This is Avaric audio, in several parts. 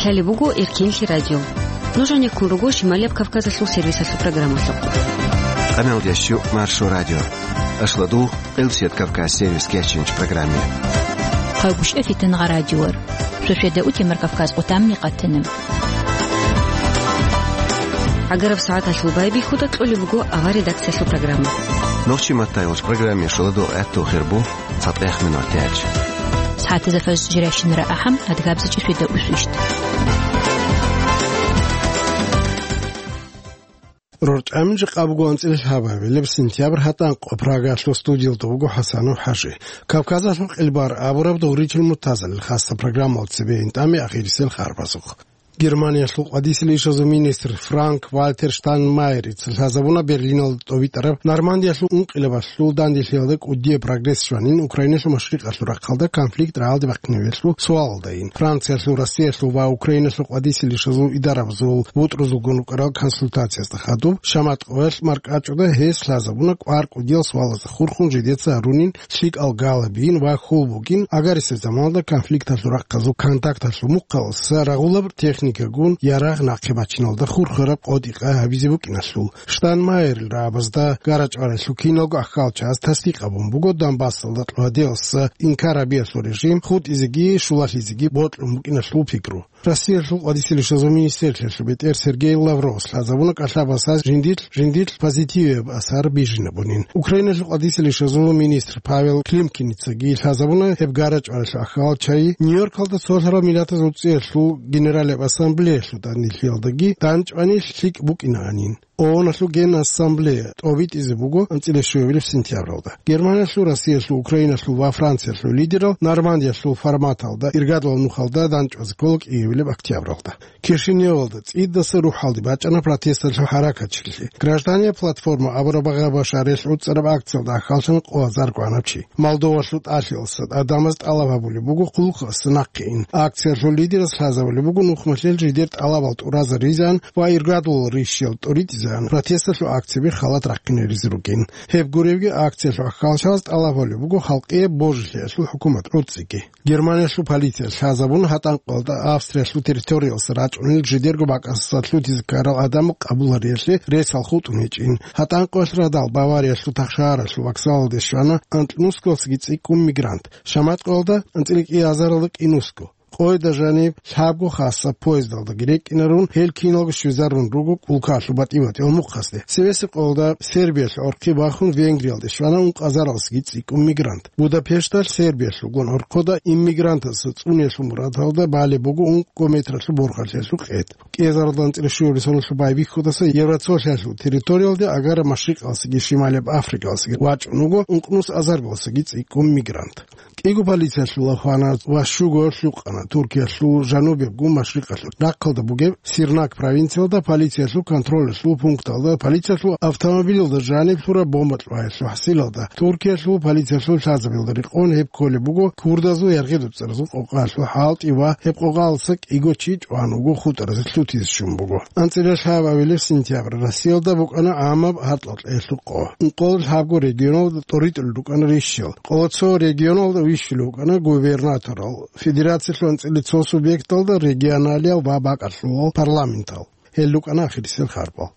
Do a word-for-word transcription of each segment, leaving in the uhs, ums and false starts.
Гьале буго Эркинлъи радио. Нуж гьанеккун руго Шималияб Кавказалъул сервисалъул программалъухъ. Къаналдеш Маршо радио. Ашладу, Къилсият Кавказ сервис кечинч программе. Хъавгушев Фитангъа радиор. Шошеда утемар Кавказ къутамни къатана. Агараб сагӀаталъул байбихьуда кьолеб буго авар редакциялъул программа. Нохчи маттайолч программе шуладу гӀатту хирбу. ЦатӀех минутач. СагӀатазда фаз жирайщинара ахӀам, адгабзачӀи свида усвищт. РорчӀамин жакъа буго анцӀила лъабабилеб сентябрь гьатӀанкъо. Прагалъул студиялда вуго ХӀасанов ХӀажи. Кавказалъул къилбар абураб дугъричил муртазалил хасса программал цебе интӀаме ахирисел харбазухъ. Германиялъул къвадисел ишазул министр Франк-Вальтер Штайнмайерица лъазабуна Берлиналда тӀовитӀараб Нормандиялъул ункъилабалъул данделъиялда кӀудияб прогресс щванин Украиналъул машрикъалъул рахъалда конфликт рагӀалде бахъинавелъул суалалдайин. Франциялъул, Россиялъул ва Украиналъул къвадисел ишазул идарабазул бутӀрузулгун рукӀарал консультациязда хадуб, шамат къоялъ маркӀачӀуда гьес лъазабуна кӀвар кӀудиял суалазда хурхун жидеца гьарунин лъикӀал галабин ва хьул бугин, агарисеб заманалда конфликталъул рахъазул контакталъул мухъалса рагъулаб техникагун ярагъ нахъе бачиналда хурхараб къотӀи-къай гьабизе букӀиналъул. Штайнмайерил рагӀабазда гарачӀваралъул киналго ахьалчагӀаз тасдикъ гьабун буго Донбассалда кьвадиялса инкар гьабиялъул режим хутӀизеги щулалъизеги бокьун букӀиналъул пикру. Россиялъул къвадисел ишазул министрлъиялъул бетӀер Сергей Лавровас лъазабуна кӀалъабасаз жиндилъ, жиндилъ позитивияб асар бижинабунин. Украиналъул къвадисел ишазул министр Павел Климкиницаги лъазабуна гьеб гарачӀваралъул ахьалчагӀи Нью-Йоркалда цолъарал миллатазул цӀиялъул Генералияб ассамблеялъул данделъиялдаги данчӀвани лъикӀ букӀинаанин. ООНалъул Генассамблея тӀобитӀизе буго анцӀила щуабилеб сентябралда. Германиялъул, Россиялъул, Украиналъул ва Франциялъул лидерал Нормандиялъул форматалда иргадулаб нухалда данчӀвазе ккола кӀиабилеб октябралда. Кишиневалда цӀидаса рухӀалде бачӀана протесталъул хӀаракатчилъи. Гражданияя платформа абураб багъа-башарилъ гӀуцӀараб акциялда ахьаллъана къо азар гванаб чи. Молдовалъул тӀалъиялъа тӀадамаз тӀалаб гьабулеб буго хъулухъасе нахъе ин. Акциялъул лидерас лъазабулеб буго нухмалъел жидер тӀалабал тӀуразаризан ва иргадулал ришиял тӀоритӀизан протесталъул акцияби халат рахъинаризе ругин. Гьеб гуребги, акциялъул ахьалчагӀаз тӀалаб гьабулеб буго халкъияб божилъиялъул хӀукумат гӀуцӀиги. Германиялъул полиция лъазабун гьатӀанкъоялда Австриялъул территориялса рачӀунел жидерго бакӀасдаса лъутизе ккарал гӀадамал къабулариялъе ресал хутӀун гьечӀин. ГьатӀанкъоялъ радал Бавариялъул тахшагьаралъул вокзалалде щвана анкьнусгосги цӀикӀкӀун мигрант. Шаматкъоялда анцӀила кӀиазаралда кӀинусго. Къойда жаниб лъабго хасаб поездалдаги рекӀкӀинарун, гьел киналго щвезарун руго улкалъул батӀи-батӀиял мухъасде. Цевесеб къоялда Сербиялъ гӀорхъи бахун Венгриялде щвана ункъазаралсги цӀикӀкӀун мигрант. Будапешталъ Сербиялъулгун гӀорхъода иммигрантазда цӀуниялъул мурадалда балеб буго ункъго метралъул борхалъиялъул къед. КӀиазаралда анцӀила щуабилеб соналъул байбихьудаса Евроцолъиялъул территориялде агара Машрикъалсаги Шималияб Африкалсаги вачӀун вуго ункънус азаргалсаги цӀикӀкӀун мигрант. КӀиго полициялъул хвана ва щуго лъукъана Туркиялъул жанубебгун машрикъалъул рахъалда бугеб Сирнак провинциялда полициялъул контролалъул пункталда полициялъул автомобилалда жаниб лъураб бомба кьваялъул хӀасилалда. Туркиялъул полициялъул лъазабилда рекъон гьеб кколеб буго курдазул яргъи-дуцӀаразул къокъаялъул хӀалтӀи ва гьеб къокъаялдаса кӀиго чи чӀван вуго, хутӀаразе лъутизе щун буго. АнцӀила лъабабилеб сентябрь Россиялда букӀана гӀамаб гьаркьалъ гӀелъул къо. Ункъоялда лъабго регионалда тӀоритӀулел рукӀана рищал. Къо цо регионалда вищулев вукӀана губернаторал, федерациялъул анцӀила цо субъекталда регионалиял ва бакӀалъулал парламентал. Гьел рукӀана ахирисел харбал.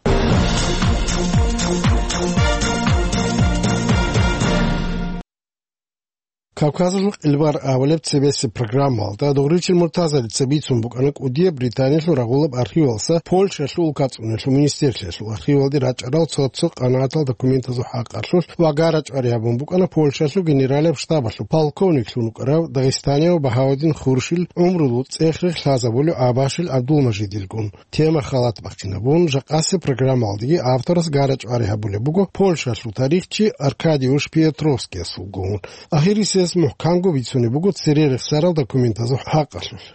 Кавказалъул къилбар абулеб цебесеб программалда дугъричил муртазалица бицун букӀана кӀудияб Британиялъул рагъулаб архивалса Польшалъул улкацӀуналъул министрлъиялъул архивалде рачӀарал цо-цо къанагӀатал документазул хӀакъалъулъ ва гарачӀвари гьабун букӀана Польшалъул генералияб штабалъул полковниклъун вукӀарав дагъистанияв Багьавудин Хуршил гӀумрулъул цӀех-рех лъазабулев Абашил ГӀабдулмажидилгун. Тема халат бахъинабун, жакъасеб программалдеги авторас гарачӀвари гьабулеб буго Польшалъул тарихчи Аркадиуш Пиетровскиясулгун. Ахирисез мухӀканго бицунеб буго цере рехсарал документазул хӀакъалъулъ.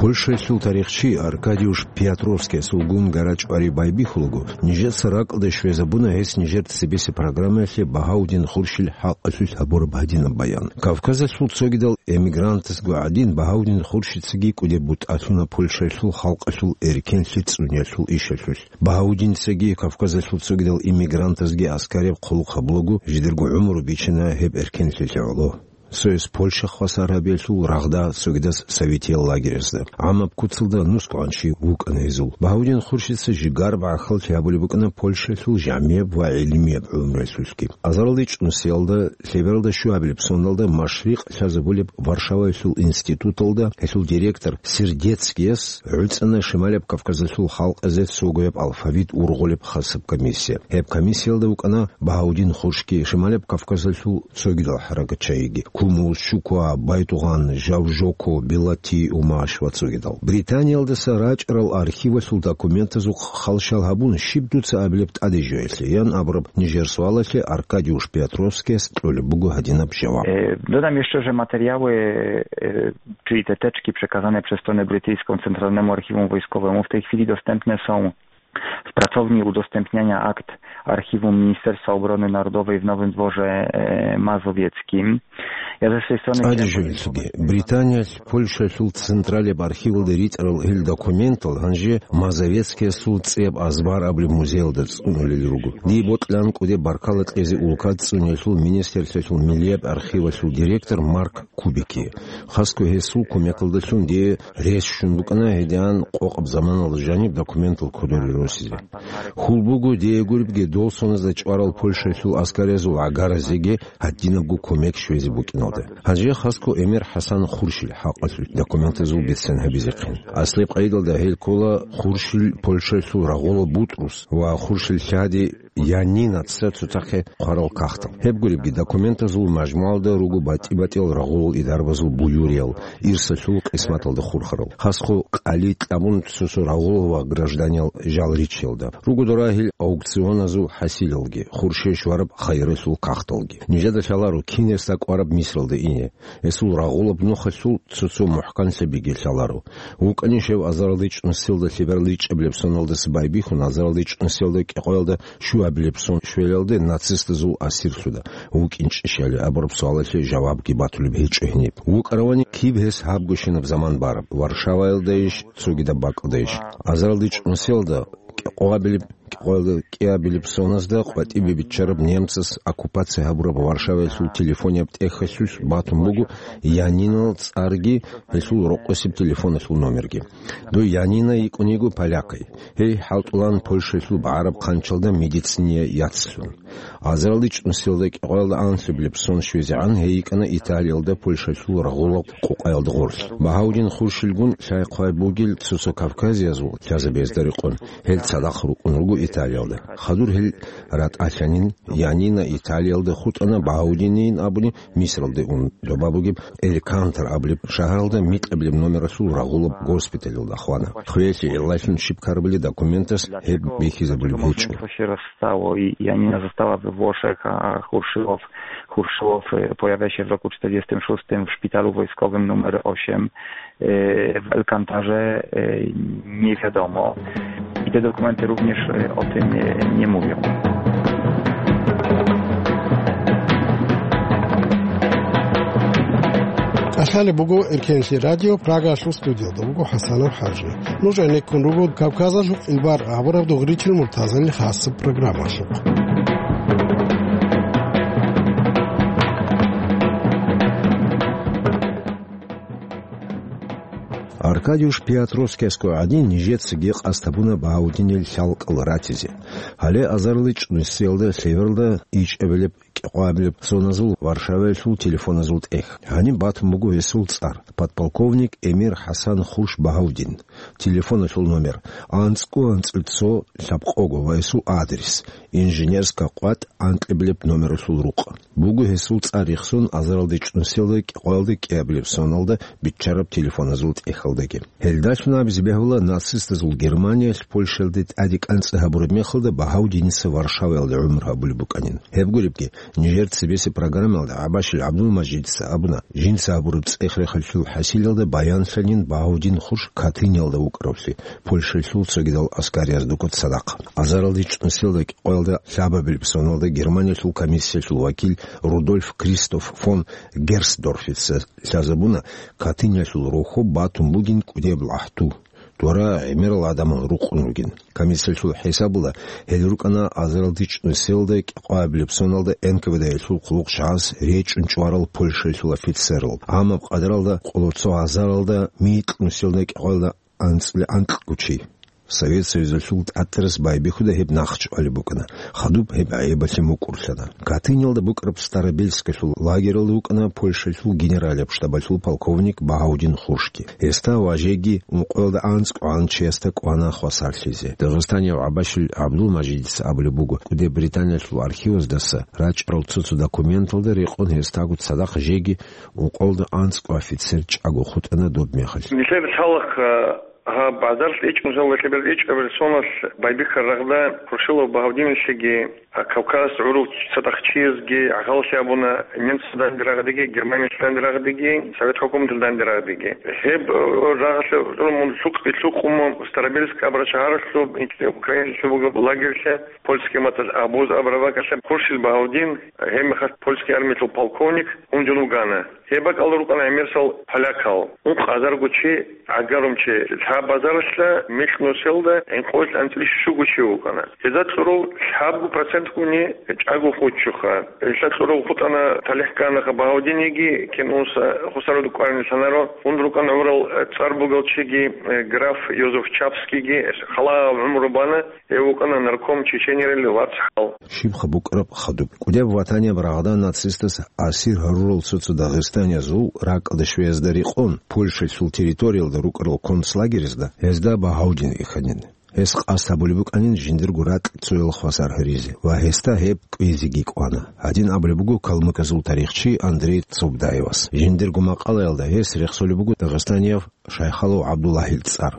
Польшаялъул тарихчи Аркадиуш Пиатровскиясулгун гара-чӀвари байбихьулаго, нижеца ракӀалде щвезабуна гьес нижер цебесеб программаялъе Багьаудин Хуршил хӀакъалъулъ гьабураб гьадинаб баян. Кавказалъул цогидал эмигрантазго гӀадин, Багьаудин Хуршицаги кӀудеб бутӀа лъуна Польшаялъул халкъалъул эркенлъи цӀуниялъул ишалъулъ. Багьаудинцаги Кавказалъул цогидал иммигрантазги аскараб хъулухъ гьабулаго, жидерго гӀумру бичана гьеб эркенлъилъе гӀоло. Цояс Польша хвасар гьабиялъул рагъда, цогидас советиял лагерязда. ГӀамаб куцалда нусгогӀан чи вукӀана гьезул. Багьаудин Хуршица жигар бахъалъи гьабулеб букӀана Польшаялъул жамияб ва гӀилмияб гӀумруялъулъги. Азаралде чӀунсиялда, лъебералда щуабилеб соналда машрикъ лъазабулеб Варшаваялъул институталда гьелъул директор Сердецкияс гӀуцӀана Шималаб Кавказалъул халкъазе цогояб алфавит ургъулеб хасаб комиссия. Гьеб комиссиялда вукӀана Багьаудин Хуршги, Шималаб Кавказалъул цогидал хӀаракатчагьиги: Кумус, Чуква, Байтугъан, Жавжоко, Белати, Умаш ва цогидал. Британиялдаса рачӀарал архивалъул документазухъ халщал гьабун, щиб дуца абилеб тӀаде жоялъе? ян абураб нижер суалалъе Аркадиуш Пиатровскияс кьолеб буго гьадинаб жаваб. Е, додам ще, же матеріали, е, чиї те течки, преказане през сторону британського центральному архіву військовому, в тій хвилі доступні са в працовні удоступнення акт архіву Міністерства оборони народової в Новим Дворі, е, Мазовецьким. Я за свій сторони... ЦӀаде жоялъеги, Британиялъ Польшаялъул централаб архивалда ритӀарал гьел документал гьанже Мазовецкиясул цӀияб азбар абулеб музеялда цӀунулел руго. Дие бокьилаан кӀудеб баркала кьезе улкат цӀуниялъул министрлъиялъул миллияб архивалъул директор Марк Кубикие. Хасго гьесул кумекалдалъун дие рес щун букӀана гьедигӀан къокъаб заманалда жаниб документал кодоре росизе. Хьул буго дие гуребги дол соназда чӀварал Польшаялъул аскариязул гӀагаразеги гьадинабго кумек щвезе букӀиналда. Гьанже хасго Эмир ХӀасан Хуршил хӀакъалъулъ документазул бицен гьабизехъин. Аслияб къайдалда гьел ккола Хуршил Польшаялъул рагъула Бутрус ва Хуршил лъади Янинаца цоцахъе хъварал кагътал. Гьеб гуребги документазул мажмуалда руго батӀи-батӀиял рагъулал идарабазул буюриял, ирсалъул къисматалда хурхарал. Хасго къали кьабун цо-цо рагъулал ва гражданиял жал риччалда. Руго дора гьел аукционазул хӀасилалги, хурше щвараб хайралъул кагъталги. Нижеда лъаларо кинес кӀвараб Мисралда ине. Гьесул рагъулаб нухалъул цо-цо мухӀканлъабиги лъаларо. ВукӀанищ гьев азаралде чӀунсиялда лъебералде чӀебилеб соналдаса байбихьун, азаралде чӀунсиялда кӀикъоялда щуабилеб сон щвелалде нацистазул асирлъуда вукӀинчӀищали абураб суалалъе жавабги батулеб гьечӀо гьениб. ВукӀаравани киб гьес гьабго щинаб заман бараб, Варшаваялдайищ, цогидаб бакӀалдайищ? Азаралде чӀунсиялда кӀикъоабилеб, кӀикъоялда кӀиабилеб соназда къватӀибе биччараб немцас оккупация гьабураб Варшаваялъул телефонияб тӀехьалъулъ батун буго Янинал цӀарги гьелъул рокъосеб телефоналъул номерги. Дой Янина йикӀун йиго полякай. Гьей хӀалтӀулаан Польшаялъул багӀараб хъанчалда медициния яцлъун. Азаралде чӀунсиялда кӀикъоялда анлъабилеб сон щвезегӀан гьей йикӀана Италиялда Польшаялъул рагъулаб къукъаялда гъорлъ. Багьаудин Хуршилгун лъай-хъвай бугел цо-цо кавказиязул лъазабиязда рекъон, гьел цадахъ рукӀун руго Италиялда. Хадур гьел ратӀалъанин, Янина Италиялда хутӀана, Багьаудинин абуни Мисралде ун, доба бугеб Элькантар абулеб шагьаралда микьабилеб номералъул рагъулаб госпиталалда хвана. Хвеялъе гӀиллалъун щиб ккарабали документас гьеб бихьизабулеб гьечӀо. Стало, и, и они застала в Вошах, а Хуршилов, Хуршилов, э, появляется в roku czterdziestym szóstym w szpitalu wojskowym numer osiem, e, w Elkantarze, e, nie wiadomo. I te dokumenty również, e, o tym, e, nie mówią. Алъали буго Эркенлъи радио, Прагалъул студиялда буго ХӀасанов ХӀажи. Нуж гӀенеккун руго Кавказалъул къилбар абураб дугъричил муртазалил хасаб программалъухъ. Аркадиуш Пиатровскиясго гӀадин, нижецаги къасд гьабуна Багьаудинил лъалкӀал ратизе. Гьале азарилчӀ нусиялда лъебералда ичӀабилеб кӀикъоабилеб зоназул Варшаваялъул телефоназул тӀехь. Гьаниб батун буго гьесул цӀар, подполковник Эмир ХӀасан Хурш Багьаудин. Телефоналъул номер: анцӀго анцӀил цо лъабкъого ва гьесул адрес: Инженерская къватӀ анкьабилеб номералъул рукъ. Буго гьесул цӀар рехсон азаралде чӀунсиялда кӀикъоялда кӀиабилеб соналда биччараб телефоназул тӀехьалда. Петроске. Гьелдалъун абизе бегьула, нацистазул Германиялъ Польшаялде тӀаде кӀанцӀи гьабураб мехалда Багьавдиница Варшаваялде гӀумру гьабулеб букӀанин. Гьеб гуребги, нижер цебесеб программаялда ГӀабашил ГӀабдулмажидица абуна, жинца гьабураб цӀех-рехалъул хӀасилалда баянлъанин Багьавдин хурш Катыниялда вукӀаравлъи, Польшалъул цогидал аскариязда цадахъ. Азаралда чӀунусиялда кӀикъоялда лъабабилеб соналда Германиялъул комиссиялъул вакил Рудольф Кристоф фон Герсдорфица лъазабуна, Катыниялъул рохьоб батун бугин кӀудияб лахӀту. Дора гӀемерал гӀадамал рукъун ругин. Комиссиялъул хӀисабалда, гьел рукӀана азаралда чӀунусиялда кӀикъоябилеб соналда Н К В Д-ялъул хъулухъ жагьаз речӀчӀун чӀварал Польшалъул офицерал, амма къадаралда къоло цо азаралда микьнусиялда кӀикъоялда анцӀила анкьго чи. Совет Союзалъул тӀатӀарас байбихьуда гьеб нахъ чӀвалеб букӀана, хадуб гьеб гӀайибалъе мукӀурлъана. Катыниялда букӀараб Старобельскалъул лагералда вукӀана Польшалъул генералияб штабалъул полковник Багьавдин хуршги. Гьесда ва жеги ункъоялда анцӀго гӀан чиясда кӀвана хвасарлъизе. Дагъистанияв ГӀабашил ГӀабдулмажидица абулеб буго, кӀуде Британиялъул архиваздаса рачӀарал цо-цо документалда рекъон гьесдаго цадахъ жеги ункъоялда анцӀго офицер чӀаго хутӀана доб мехалъ. Нилъер лъалахъ, а, гьаб азаралъ ичӀнусиялда лъеберал ичӀабилеб соналъ байбихьараб рагъда Хуршилов Багьавдиналъеги, а, Кавказалъ гӀурав цадахъ чиясги гӀахьаллъи абуна, немцазда данде рагъдеги, Германиялъ данде рагъдеги, Совет хӀукуматалда данде рагъдеги. Гьеб, э, рагъалъе гӀурун мун лъукъ-, лъукъун мун Старобельск абураб шагьаралъуб, Украиналъуб бугеб лагерьлъа, польский мацӀалъ Обоз абураб бакӀалъа Хуршил Багьавдин, гьеб мехалъ польский армиялъул полковник, гьунжун вугана. Гьеб бакӀалда рукӀана гӀемерисел полякал. Ункъ азарго чи, гӀагарум чи, лъаб азаралъа микьнусиялда гӀинкъоялъ анцӀила щуго чи вукӀана. Гьезда кьурав лъабго процентгуни чӀаго хутӀчӀоха. Гьелда кьурав хутӀана, талихӀ кканаха Багьавдинеги, кин унса хусаруда кӀварин лъанаро, гьун рукӀана гӀурал цӀар бугел чиги, граф Йозеф Чапскийги, халаяб гӀумру бана, гьев вукӀана нарком Чеченерил вацгӀал. Щибха букӀараб хадуб. КӀудияб ватанияб рагъда нацистас асир гьарурал цо-цо дагъистаниязул ракӀалде щвеязда рекъон, Польшалъул территориялда рукӀарал концлагерезда гьезда Багьавдин вихьанин. Гьес къасд гьабулеб букӀанин жиндирго ракь цоял хвасар гьаризе ва гьесда гьеб кӀвезеги кӀвана. Гьадин абулеб буго калмыказул тарихчи Андрей Цобдаевас. Жиндирго макъалаялда гьес рехсолеб буго дагъистанияв Шайхалов ГӀабдуллагьил цӀар.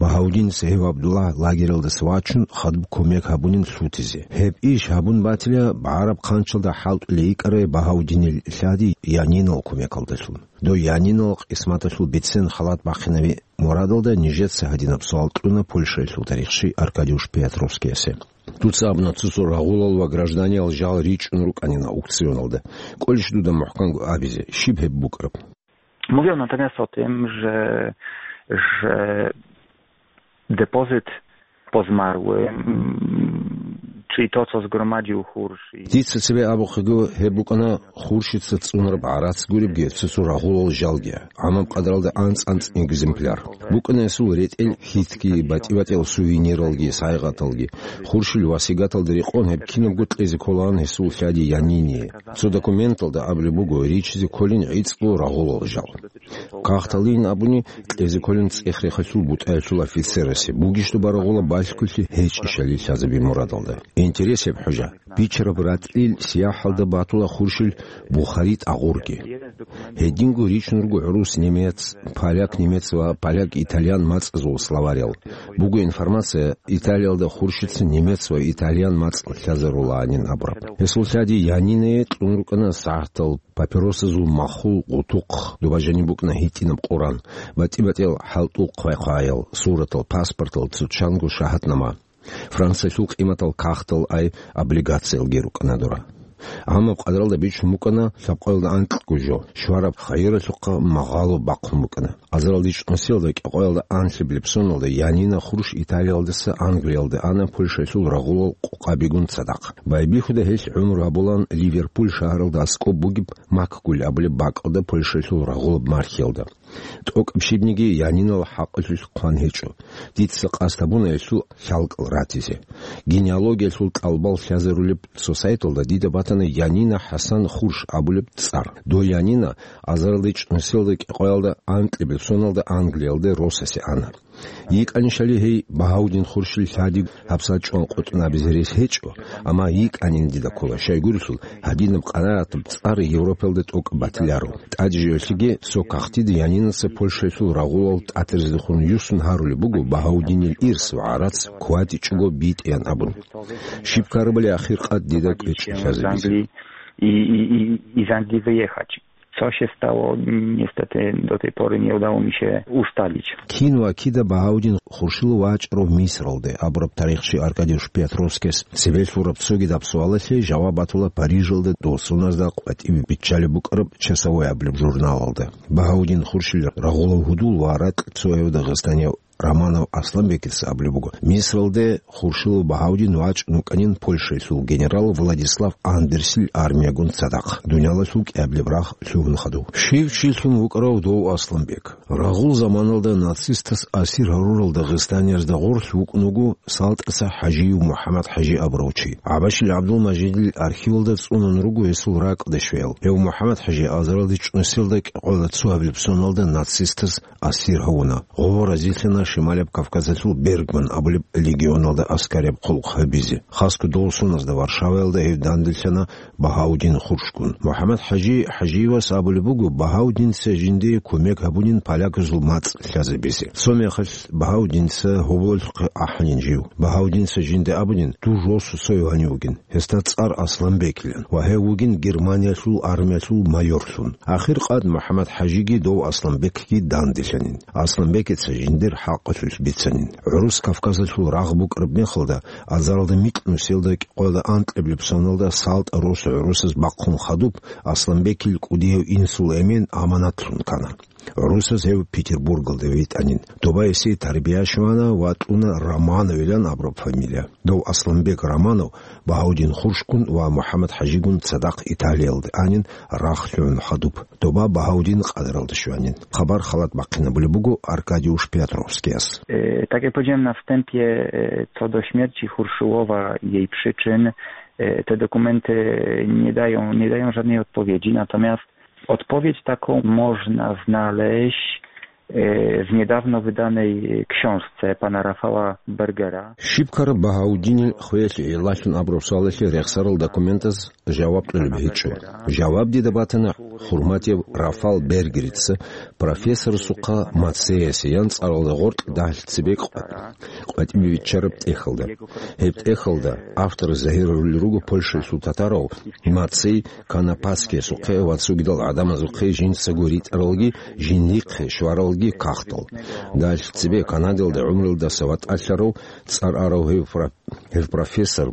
Багьавдинас гьев ГӀабдуллагь лагералдаса вачун, хадуб кумек гьабунин лъутизе. Гьеб иш гьабун батила, БагӀараб хъанчалда хӀалтӀулей йикӀарай Багьавдинил лъади Янинал кумекалдалъун. Дой Янинал къисматалъул бицен халат бахъинави мурадалда нижеца гьадинаб суал кьуна Польшаялъул тарихчи Аркадиуш Пиятровскиясе. Дуца абуна цо-цо рагъулал ва гражданиял жал ричӀун рукӀанин аукционалда. КӀолищ дуда мухӀканго абизе, щиб гьеб букӀараб? Mówiono natomiast o tym, że, że depozyt po zmarłym, czyli to, co zgromadził Hursz i Дица цебе абухъего, гьеб букӀана Хуршица цӀунараб гӀарац гуребги, цо-цо рагъулал жалги, гӀамаб къадаралда анцӀ-анцӀ экземпляр. БукӀана гьесул ретӀел хьитги, батӀи-батӀиял сувениралги, сайгъаталги. Хуршил васигаталда рекъон гьеб кинабго кьезе кколаан гьесул лъади Янине. Цо документалда абулеб буго, ричизе кколин гӀицӀго рагъулал жал. Кагъталин абуни, кьезе кколин цӀех-рехалъул бутӀаялъул офицерасе, бугищ доба рагъула балъголъи гьечӀищали лъазаби мурадалда. Интерес гьеб, хӀужа. Бичараб ратӀлил сияхӀалда батула Хуршил Бухари тӀагъурги. Гьединго ричун руго гӀурус немец, поляк-немец ва поляк-итальян мацӀазул словарял. Буго информация, Италиялда Хуршица немец ва итальян мацӀ лъазарулаанин абураб. Гьесул лъади Янинае кьун рукӀана сагӀатал, папиросазул махул гъутухъ, доба жаниб букӀана гьитӀинаб Къуран, батӀи-батӀиял хӀалтӀул хъвай-хъваял, суратал, паспортал, цо чанго шагьатнама. Франциялъул къиматал кагътал ай облигациялги рукӀана дора. Амма къадралда бичун букӀана лъабкъоялда анкьго жо, щвараб хайиралъухъа магъало бахъун букӀана. Азаралда чӀунусиялда кӀикъоялда анлъабилеб соналда Янина Хурш Италиялдаса Англиялде ана Польшаялъул рагъулал къукъабигун цадахъ. Байбихьуда гьелъ гӀумру гьабулаан Ливерпуль шагьаралда аскӀоб бугеб Макгуль абулеб бакӀалда Польшаялъул рагъулаб мархиялда. ТӀокӀаб щибниги Янинал хӀакъалъулъ хъван гьечӀо. Дица къасд гьабуна гьелъул хӀалкӀал ратизе. Генеалогиялъул тӀалабал лъазарулеб цо сайталда дида батана Янина ХӀасан Хурш абулеб цӀар. Дой Янина азаралда чӀунусиялда кӀикъоялда анкьабилеб соналда Англиялде росасе ана. ЙикӀанищали гьей Багьаудин Хуршил лъади гьабсагӀат чӀван къотӀун абизе рес гьечӀо, амма йикӀанин дида ккола, щайгурелъул гьадинаб къанагӀатаб цӀар Европалда тӀокӀаб батиларо. ТӀаде жо-, гьелъиги цо кагътида Янинаса Польшаялъул рагъулал тӀатарзехун юсун гьарулеб буго Багьаудинил ирс ва гӀарац ккватичӀого битӀеян абун. Щиб ккарабали ахир къад дида кӀвечӀо лъазабизе. Из Англии, и, и, и, из Англии выехать. Co się stało, niestety do tej pory nie udało mi się ustalić. Кин ва кида Багьаудин Хуршил вачӀарав Мисралде абураб тарихчи Аркадий Петровскияс цебе лъураб цогидаб суалалъе жаваб батула Парижалда дов соназда къватӀибе биччалеб букӀараб «Часовой» абулеб журналалда. Багьаудин Хуршил рагъулав гьудул ва ракь цояв дагъистанияв Романов Асланбекица абулеб буго, Мисралде Хуршилов Багьаудин вачӀун вукӀанин Польшаялъул генерал Владислав Андерсил армиягун цадахъ, дуниялалъул кӀиабилеб рагъ лъугьун хадув. Щив чилъун вукӀарав дов Асланбек? Рагъул заманалда нацистас асир гьарурал дагъистаниязда гъорлъ вукӀун вуго СалтӀаса ХӀажиев МухӀаммад-ХӀажи абурав чи. ГӀабашил ГӀабдулмажидил архивалда цӀунун руго гьесул ракӀалде щвеял. Гьев МухӀаммад-ХӀажи азаралде чӀунусиялда кӀикъоялда цо гьабилеб соналда нацистас асир гьавуна. Гъов разилъана Шималияб Кавказалъул Бергман абулеб легионалда аскарияб хъулухъ гьабизе. Хасго дов соназда Варшаваялда гьев данделъана Багьаудин Хуршгун. МухӀаммад-ХӀажи ХӀажиевас абулеб буго Багьаудинца жиндие кумек гьабунин поляказул мацӀ лъазабизе. Цо мехалъ Багьаудинца гьоболлъухъе ахӀанин жив. Багьаудинца жинда абунин, дур росу цояв гьанив вугин. Гьесда цӀар Асланбекилан ва гьев вугин Германиялъул армиялъул майорлъун. Ахир къад МухӀаммад-ХӀажиги дов Асланбекги данделъанин. Асланбекица жиндир хӀакъалъулъ бицанин. ГӀурус Кавказалъул рагъ букӀараб мехалда, азаралда микьнусиялда кӀикъоялда анкьабилеб соналда СалтӀа росу гӀурусаз бахъун хадуб, Асланбекил кӀудияв инсул эмен аманатлъун ккана. ГӀурусаз гьев Петербургалде витӀанин. Доба гьесие тарбия щвана ва кьуна Романовилан абураб фамилия. Дов Асланбек Романов Багьаудин Хуршгун ва МухӀаммад-ХӀажигун цадахъ Италиялде анин рагъ лъугӀун хадуб. Доба Багьаудин къадаралда щванин. Хабар халат бахъинабулеб буго Аркадий Петровскияс. E, tak jak powiedziałem na wstępie, e, co do śmierci Hurszyłowa i jej przyczyn, e, te dokumenty nie dają, nie dają żadnej odpowiedzi, natomiast Odpowiedź taką można znaleźć, e, w niedawno wydanej książce pana Rafała Bergera. Щиб ккараб Багьаудинил хвеялъе гӀиллалъун абураб суалалъе рехсарал документаз жаваб кьолеб гьечӀо. Жаваб дида батана Хурматияб Рафал Бергерица профессорасухъа Мацеясе ян цӀаралда гъоркь дагьлъи цебе къватӀибе биччараб тӀехьалда. Гьеб тӀехьалда автор загьирарулел руго Польшаялъул татарав Мацей Канапаскиясухъе ва цогидал гӀадамазухъе жинцаго ритӀаралги, жиндихъе щваралги кагътал. Дагьлъи цебе Канадалда гӀумруялдаса ватӀалъарав, цӀар арав гьев пра-, гьев профессор,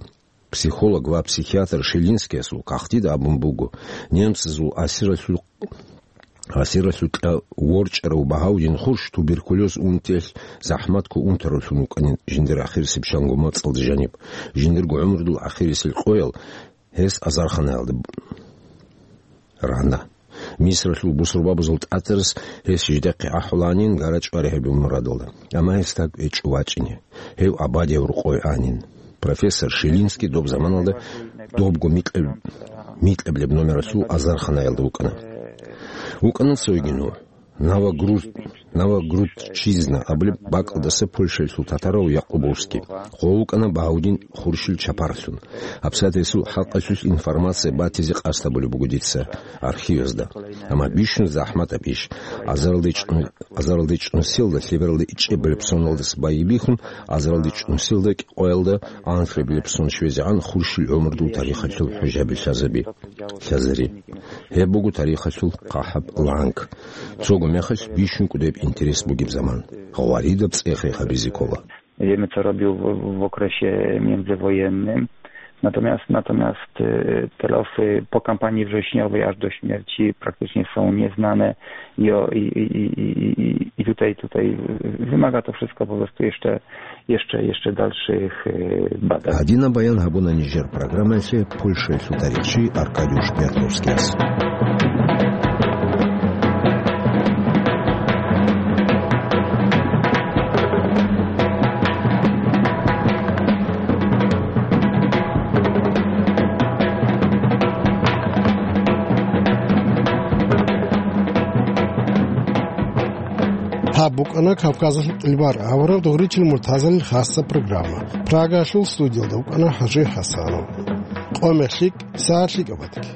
психолог ва психиатр Шилинскиясул кагътида абун буго, немцазул асиралъул, асиралъукьа ворчӀарав Багьаудин Хурш туберкулез унтиялъ захӀматго унтаруллъун вукӀанин жиндир ахирисеб чанго мацӀалда жаниб, жиндирго гӀумрудул ахирисел къоял гьес азарханаялда рана. Мисралъул бусурбабазул тӀатарас гьес жидехъе ахӀуланин гара-чӀвари гьабизе мурадалда. Амма гьес тӀад гьечӀо вачӀине. Гьев абадияб рокъове анин. Профессор Шилинский доб заманалда добго микьаб-, микьабилеб номералъул азарханаялда вукӀана. ВукӀана цойги нугӀ. Новогруз-, Новогрудчизна абулеб бакӀалдаса Польшаялъул татарав Якъубовский. Гъов вукӀана Багьаудин Хуршил чапарлъун. ГьабсагӀат гьесул хӀакъалъулъ информация батизе къасд гьабулеб буго дица архивазда. Амма бищун захӀматаб иш. Азаралда ичӀну-, азаралда ичӀнусиялда лъебералда ичӀебилеб соналдаса байбихьун, азаралда ичӀнусиялда кӀикъоялда анлъабилеб сон щвезегӀан Хуршил гӀумрудул тарихалъул хӀужаби лъазаби. Лъазари. Гьеб буго тарихалъул хъахӀаб ланг. Цого мехалъ бищун кӀудеб интерес бугеб заман. Гъваридаб цӀех гьабизе ккола. Wiemy, co robił w, w okresie międzywojennym. Natomiast, natomiast, e, te losy po kampanii wrześniowej aż do śmierci praktycznie są nieznane i, o, i, i tutaj, tutaj wymaga to wszystko po prostu jeszcze, jeszcze, jeszcze dalszych, e, badań. Гьадинаб баян гьабуна нижер программаялъе Польшаялъул тарихчи Аркадий Петровскияс. БукӀана Кавказалъул кьилбар авараг Дугъричил Муртазалил хасса программа. Прагалъул студиялда вукӀана ХӀажи ХӀасанов. Къоме лъикӀ, сагӀат лъикӀаб батги.